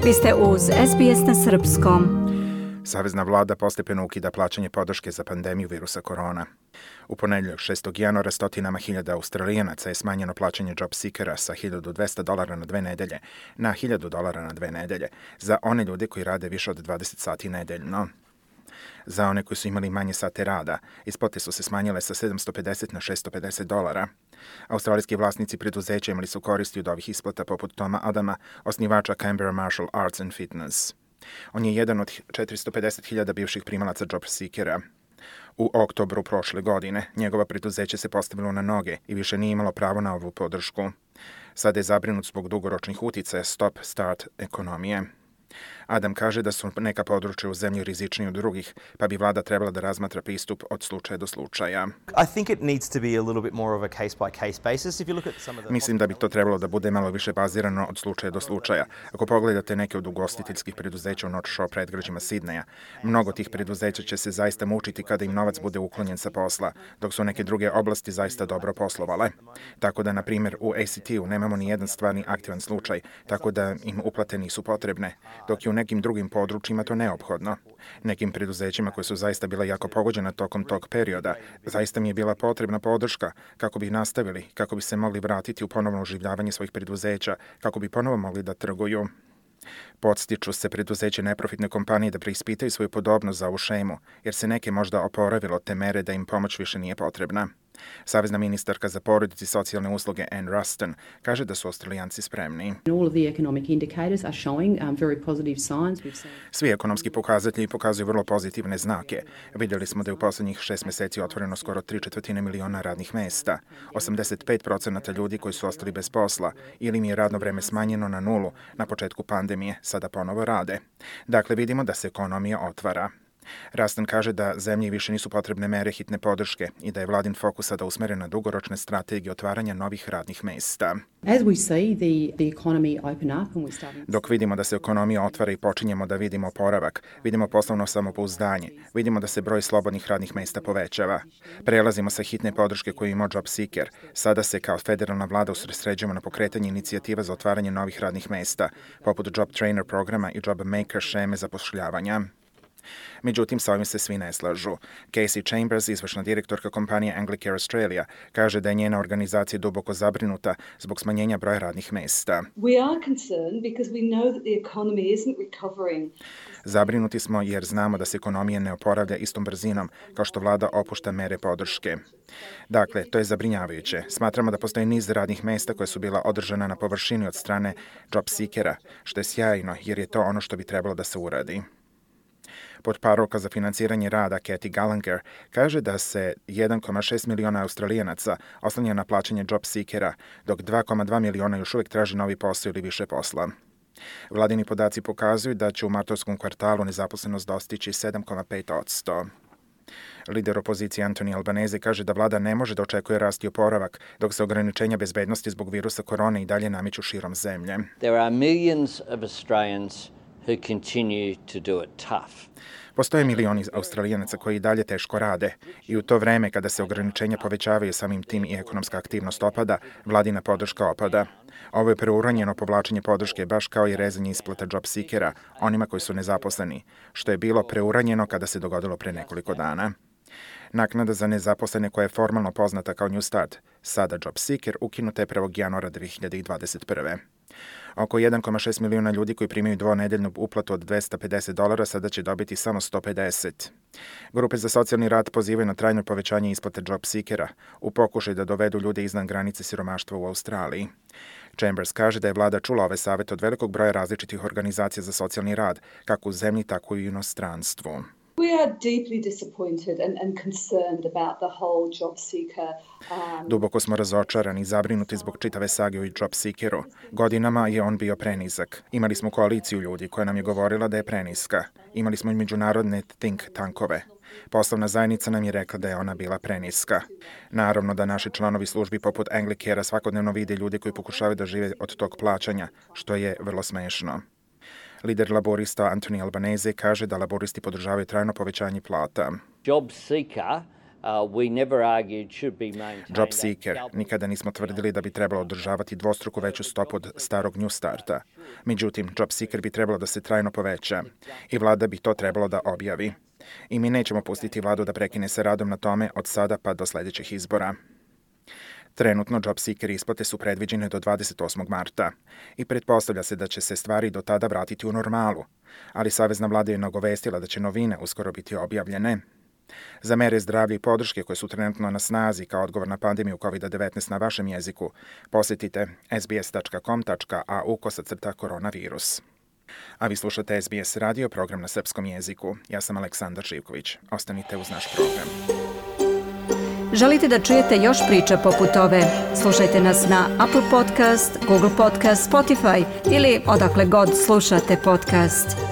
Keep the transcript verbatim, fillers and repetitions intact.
Vi ste uz S B S na srpskom. Savezna vlada postepeno ukida plaćanje podrške za pandemiju virusa korona. U ponedjeljak šestog januara stotinama hiljada Australijanaca je smanjeno plaćanje job seekera sa hiljadu dvesta dolara na dve nedelje na hiljadu dolara na dve nedelje za one ljude koji rade više od dvadeset sati nedeljno. Za one koji su imali manje sate rada, isplate su se smanjile sa sedamsto pedeset na šesto pedeset dolara. Australijski vlasnici preduzeća imali su koristi od ovih isplata poput Toma Adama, osnivača Canberra Martial Arts and Fitness. On je jedan od četiristo pedeset hiljada bivših primalaca job seekera. U oktobru prošle godine njegova preduzeće se postavilo na noge i više nije imalo pravo na ovu podršku. Sada je zabrinut zbog dugoročnih uticaja stop-start ekonomije. Adam kaže da su neka područja u zemlji rizičniji od drugih, pa bi vlada trebala da razmatra pristup od slučaja do slučaja. Mislim da bi to trebalo da bude malo više bazirano od slučaja do slučaja. Ako pogledate neke od ugostiteljskih preduzeća u North Shore predgrađima Sidneja, mnogo tih preduzeća će se zaista mučiti kada im novac bude uklonjen sa posla, dok su neke druge oblasti zaista dobro poslovale. Tako da, na primjer, u A C T-u nemamo ni jedan stvarni aktivan slučaj, tako da im uplate nisu potrebne, dok je u nekim drugim područjima to neophodno. Nekim preduzećima koje su zaista bila jako pogođena tokom tog perioda, zaista mi je bila potrebna podrška kako bi nastavili, kako bi se mogli vratiti u ponovno oživljavanje svojih preduzeća, kako bi ponovo mogli da trguju. Podstiču se preduzeće neprofitne kompanije da preispitaju svoju podobnost za ovu šemu, jer se neke možda oporavilo te mere da im pomoć više nije potrebna. Savezna ministarka za porodicu i socijalne usluge Ann Ruston kaže da su Australijanci spremni. Svi ekonomski pokazatelji pokazuju vrlo pozitivne znake. Vidjeli smo da je u posljednjih šest mjeseci otvoreno skoro tri četvrtine miliona radnih mesta. osamdeset pet procenata ljudi koji su ostali bez posla ili im je radno vreme smanjeno na nulu na početku pandemije sada ponovo rade. Dakle, vidimo da se ekonomija otvara. Ruston kaže da zemlji više nisu potrebne mere hitne podrške i da je vladin fokus sada usmeren na dugoročne strategije otvaranja novih radnih mesta. Dok vidimo da se ekonomija otvara i počinjemo da vidimo oporavak, vidimo poslovno samopouzdanje, vidimo da se broj slobodnih radnih mesta povećava. Prelazimo sa hitne podrške koju ima job seeker. Sada se kao federalna vlada usredsređujemo na pokretanje inicijativa za otvaranje novih radnih mesta, poput job trainer programa i job maker šeme zapošljavanja. Međutim, sa ovim se svi ne slažu. Casey Chambers, izvršna direktorka kompanije Anglicare Australia, kaže da je njena organizacija duboko zabrinuta zbog smanjenja broja radnih mesta. Zabrinuti smo jer znamo da se ekonomija ne oporavlja istom brzinom kao što vlada opušta mere podrške. Dakle, to je zabrinjavajuće. Smatramo da postoji niz radnih mesta koja su bila održana na površini od strane job seekera, što je sjajno jer je to ono što bi trebalo da se uradi. Portparolka za financiranje rada Kathy Gallagher kaže da se jedan zarez šest miliona Australijanaca oslanja na plaćanje job seekera, dok dva zarez dva miliona još uvijek traži novi posao ili više posla. Vladini podaci pokazuju da će u martovskom kvartalu nezaposlenost dostići sedam zarez pet posto. Lider opozicije Anthony Albanese kaže da vlada ne može da očekuje rast i oporavak, dok se ograničenja bezbednosti zbog virusa korone i dalje nameću širom zemlje. There are millions of Australians who continue to do it tough. Postoje milioni Australijanaca koji i dalje teško rade i u to vreme kada se ograničenja povećavaju samim tim i ekonomska aktivnost opada, vladina podrška opada. Ovo je preuranjeno povlačenje podrške baš kao i rezanje isplata job seekera onima koji su nezaposleni, što je bilo preuranjeno kada se dogodilo pre nekoliko dana. Naknada za nezaposlene koja je formalno poznata kao New Start, sada job seeker, ukinuta je prvog januara dve hiljade dvadeset prve. Oko jedan zarez šest miliona ljudi koji primaju dvonedeljnu uplatu od dvesta pedeset dolara sada će dobiti samo sto pedeset. Grupe za socijalni rad pozivaju na trajno povećanje isplate job seekera u pokušaju da dovedu ljude iznad granice siromaštva u Australiji. Chambers kaže da je vlada čula ove savete od velikog broja različitih organizacija za socijalni rad, kako u zemlji, tako i u inostranstvu. We are deeply disappointed and, and concerned about the whole job seeker. Um... Duboko smo razočarani i zabrinuti zbog čitave sage o job seekeru. Godinama je on bio prenizak. Imali smo koaliciju ljudi koja nam je govorila da je preniska. Imali smo i međunarodne think tankove. Poslovna zajednica nam je rekla da je ona bila preniska. Naravno da naši članovi službi poput Anglicare svakodnevno vide ljude koji pokušavaju da žive od tog plaćanja, što je vrlo smešno. Lider laborista Anthony Albanese kaže da laboristi podržavaju trajno povećanje plata. Job seeker Job Seeker, nikada nismo tvrdili da bi trebalo održavati dvostruko veću stopu od starog New Starta. Međutim, Job Seeker bi trebalo da se trajno poveća i vlada bi to trebalo da objavi. I mi nećemo pustiti vladu da prekine sa radom na tome od sada pa do sledećih izbora. Trenutno Job Seeker isplate su predviđene do dvadeset osmog marta i pretpostavlja se da će se stvari do tada vratiti u normalu, ali Savezna vlada je nagovestila da će novine uskoro biti objavljene. Za mere zdravlja i podrške koje su trenutno na snazi kao odgovor na pandemiju kovid devetnaest na vašem jeziku, posjetite sbs.com.au kosacrta koronavirus. A vi slušate S B S radio, program na srpskom jeziku. Ja sam Aleksandar Živković. Ostanite uz naš program. Želite da čujete još priča poput ove? Slušajte nas na Apple Podcast, Google Podcast, Spotify ili odakle god slušate podcast.